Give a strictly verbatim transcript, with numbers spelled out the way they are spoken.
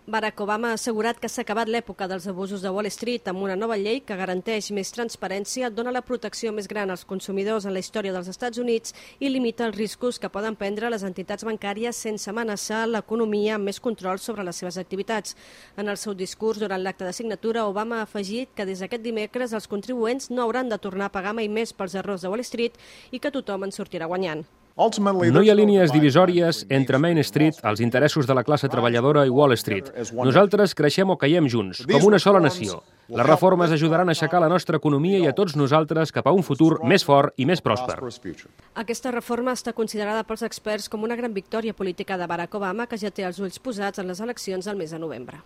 Barack Obama ha assegurat que s'ha acabat l'època dels abusos de Wall Street amb una nova llei que garanteix més transparència, dona la protecció més gran als consumidors en la història dels Estats Units i limita els riscos que poden prendre les entitats bancàries sense amenaçar l'economia amb més control sobre les seves activitats. En el seu discurs durant l'acte de signatura, Obama ha afegit que des d'aquest dimecres els contribuents no hauran de tornar a pagar mai més pels errors de Wall Street i que tothom en sortirà guanyant. No hi ha línies divisòries entre Main Street, els interessos de la classe treballadora i Wall Street. Nosaltres creixem o caiem junts, com una sola nació. Les reformes ajudaran a aixecar la nostra economia i a tots nosaltres cap a un futur més fort i més pròsper. Aquesta reforma està considerada pels experts com una gran victòria política de Barack Obama, que ja té els ulls posats en les eleccions del mes de novembre.